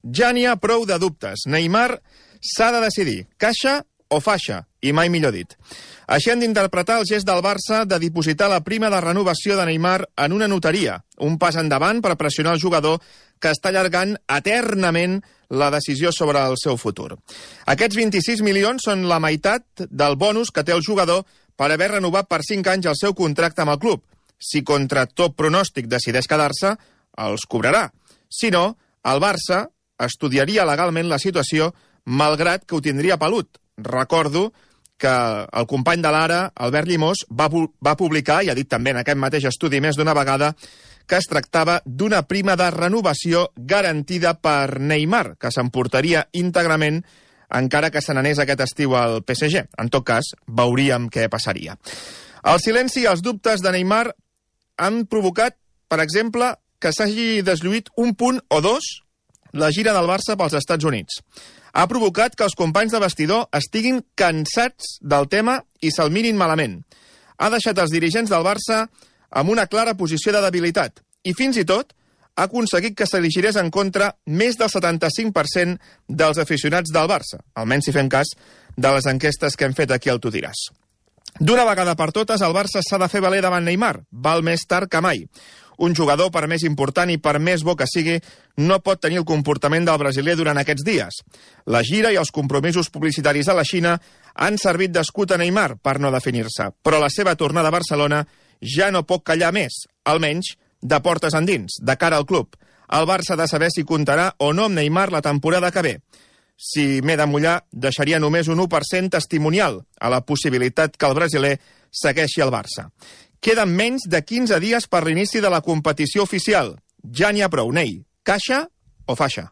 Ja n'hi ha prou de dubtes. Neymar s'ha de decidir, caixa o faixa, i mai millor dit. Així han d'interpretar el gest del Barça de dipositar la prima de renovació de Neymar en una notaria, un pas endavant per pressionar el jugador que està allargant eternament la decisió sobre el seu futur. Aquests 26 milions són la meitat del bonus que té el jugador per haver renovat per 5 anys el seu contracte amb el club. Si contra tot pronòstic decideix quedar-se, els cobrarà. Si no, el Barça estudiaria legalment la situació malgrat que ho tindria pelut. Recordo que el company de l'Ara, Albert Llimós, va publicar, i ha dit també en aquest mateix estudi més d'una vegada, que es tractava d'una prima de renovació garantida per Neymar, que s'emportaria íntegrament encara que se n'anés aquest estiu al PSG. En tot cas, veuríem què passaria. El silenci i els dubtes de Neymar han provocat, per exemple, que s'hagi deslluït un punt o dos la gira del Barça pels Estats Units. Ha provocat que els companys de vestidor estiguin cansats del tema i se'l mirin malament. Ha deixat els dirigents del Barça amb una clara posició de debilitat i fins i tot ha aconseguit que se li girés en contra més del 75% dels aficionats del Barça, almenys si fem cas de les enquestes que hem fet aquí al Tu diràs. D'una vegada per totes, el Barça s'ha de fer valer davant Neymar. Val més tard que mai. Un jugador, per més important i per més bo que sigui, no pot tenir el comportament del brasiler durant aquests dies. La gira i els compromisos publicitaris a la Xina han servit d'escut a Neymar per no definir-se, però la seva tornada a Barcelona ja no pot callar més, almenys de portes endins, de cara al club. El Barça ha de saber si comptarà o no amb Neymar la temporada que ve. Si m'he de mullar, deixaria només un 1% testimonial a la possibilitat que el brasiler segueixi al Barça. Queden menys de 15 dies per l'inici de la competició oficial. Ja n'hi ha prou, Ney. Caixa o faixa?